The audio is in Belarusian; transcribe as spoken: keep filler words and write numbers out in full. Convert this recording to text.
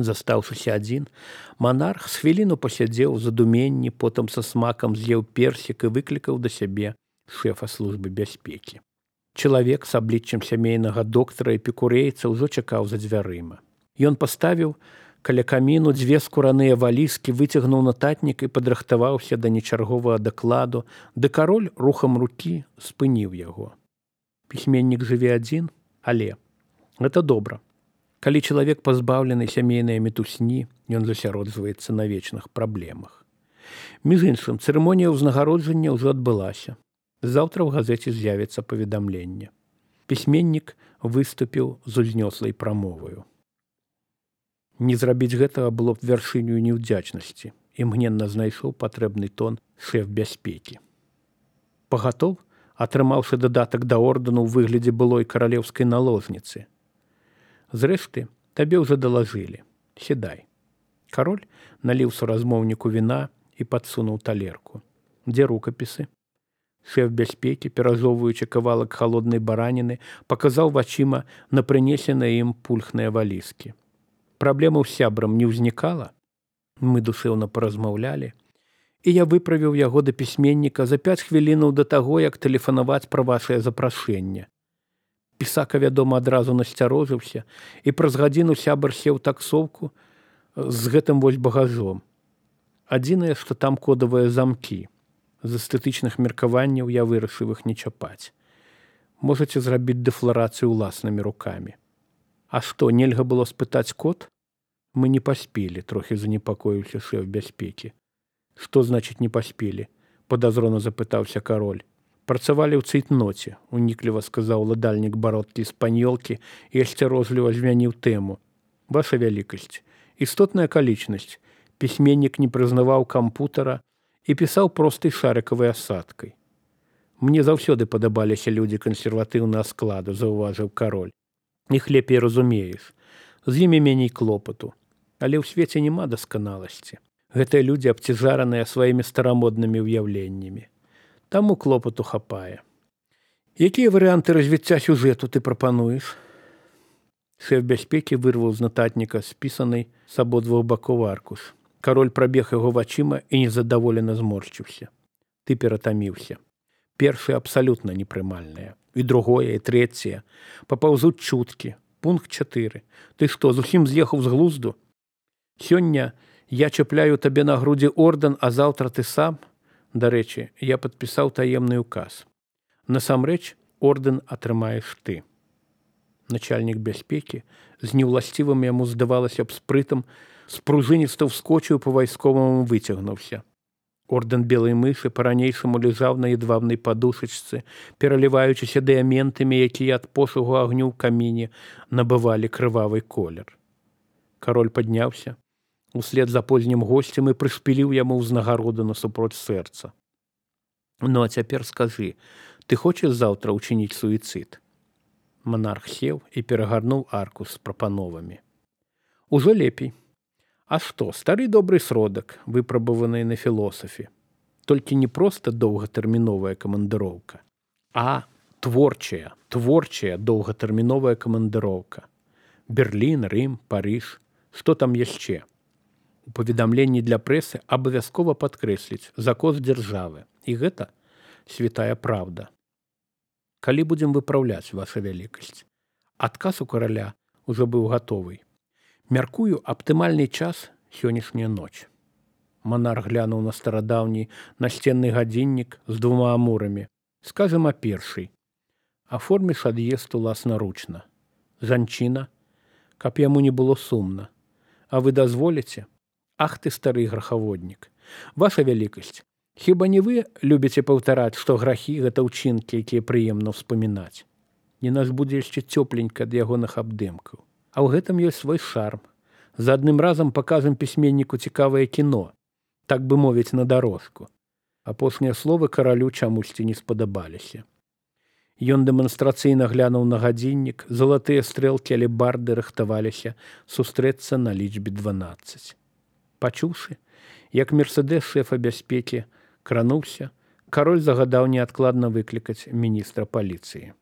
Застаўшыся адзін, манарх з хвіліну пасядзеў у задуменні, потым са смакам з'еў персік і выклікаў да сябе шэфа службы бяспекі. Чалавек з абліччам сямейнага доктара эпікурэйца ўжо чакаў за дзвярыма. Ён паставіў каля каміну дзве скураныя валізкі, выцягнуў нататнік і падрыхтаваўся да нечарговага дакладу, ды кароль рухам рукі спыніў яго. Пісьменнік жыве адзін, але гэта добра. Калі чалавек пазбаўлены сямейнай мітусні, ён засяроджваецца на вечных праблемах. Між іншым, цырымонія ўзнагароджання ўжо адбылася. Заўтра ў газеце з'явіцца паведамленне. Пісьменнік выступіў з узнёслай прамоваю. Не зрабіць гэтага было б вяршынёю неўдзячнасці, імгненна знайшоў патрэбны тон шэф бяспекі. Пагатоў, атрымаўшы дадатак да ордэну ў выглядзе былой каралеўскай наложніцы. Зрэшты, табе ўжо далажылі. Сідай. Кароль наліў суразмоўніку віна і падсунуў талерку. Дзе рукапісы? Шэф бяспекі, перажоўваючы кавалак халоднай бараніны, паказаў вачыма на прынесеныя ім пульхныя валізкі. Праблемаў з сябрам не ўзнікала? Мы душэўна паразмаўлялі, і я выправіў яго да пісьменніка за пяць хвілінаў да таго, як тэлефанаваць пра вашае запрашэнне. Пісака, вядома, адразу насцярожыўся, і праз гадзіну сябар сеў таксоўку з гэтым вось багажом. Адзінае, што там кодавыя замкі. З эстэтычных меркаванняў я вырашыў іх не чапаць. Можаце зрабіць дэфларацыю ўласнымі рукамі. А што, нельга было спытаць код? Мы не паспелі, трохі занепакоіўся шэф бяспекі. Што значыць не паспелі? Падазрона запытаўся кароль. Працавалі ў цейтноце, унікліва сказаў ладальнік бародкі спаньолкі і асцярожліва змяніў тэму. Ваша вялікасць, істотная акалічнасць. Пісьменнік не прызнаваў кампутара і пісаў простай шарыкавай асадкай. Мне заўсёды падабаліся людзі кансерватыўнага складу, заўважыў кароль. Іх лепей разумееш. З імі меней клопату. Але ў свеце няма дасканаласці. Гэтыя людзі абцяжараныя сваімі старамоднымі ўяўленнямі. Таму клопату хапае. Якія варыянты развіцця сюжэту ты прапануеш? Шэф бяспекі вырваў з нататніка спісанай з абодвух бакоў аркуш. Кароль прабег яго вачыма і незадаволена зморшчыўся. Ты ператаміўся. Першае абсалютна непрымальнае. І другое, і трэцяе. Папаўзуць чуткі. Пункт чатыры. Ты што, зусім з'ехаў з глузду? Сёння я чапляю табе на грудзі ордэн, а заўтра ты сам? Дарэчы, я падпісаў таемны ўказ. Насамрэч, ордэн атрымаеш ты. Начальнік бяспекі з неўласцівым яму здавалася б спрытам спружыніста ўскочыў па-вайсковаму выцягнуўся. Ордэн белай мышы па-ранейшаму ляжаў на едвабнай падушачцы, пераліваючыся дыяментамі, якія ад пошугу агню ў каміне набывалі крывавы колер. Кароль падняўся услед за познім госцем і прышпіліў яму ўзнагароду насупроць сэрца. Ну, а цяпер скажы, ты хочаш заўтра ўчыніць суіцыд? Манарх сеў і перагарнуў аркуш з прапановамі. Ужо лепей. А што, стары добры сродак, выпрабаваны на філосафе. Толькі не проста доўгатэрміновая камандыроўка, а творчая, творчая доўгатэрміновая камандыроўка. Берлін, Рым, Парыж, што там яшчэ? У паведамленні для прэсы абавязкова падкрэсліць закон дзяржавы. І гэта святая праўда. Калі будзем выпраўляць, ваша вялікасць? Адказ у караля ўжо быў гатовы. Мяркую, аптымальны час сённяшняя ноч. Манарх глянуў на старадаўні насценны гадзіннік з двума амурамі. Скажам а першай. Аформіш ад'езд уласнаручна. Жанчына, каб яму не было сумна. А вы дазволіце? Ах ты, стары грахаводнік. Ваша вялікасць, хіба не вы любіце паўтараць, што грахі – гэта ўчынкі, якія прыемна ўспамінаць? Не нас будзе яшчэ цёпленька ад ягоных абдымкаў. А ў гэтым ёсць свой шарм. За адным разам пакажам пісьменніку цікавае кіно, так бы мовіць, на дарожку. Апошнія словы каралю чамусьці не спадабаліся. Ён дэманстрацыйна глянуў на гадзіннік, залатыя стрэлкі алебарды рыхтаваліся сустрэцца на лічбе дванаццаць. Пачуўшы, як мерседес шэфа бяспекі крануўся, кароль загадаў неадкладна выклікаць міністра паліцыі.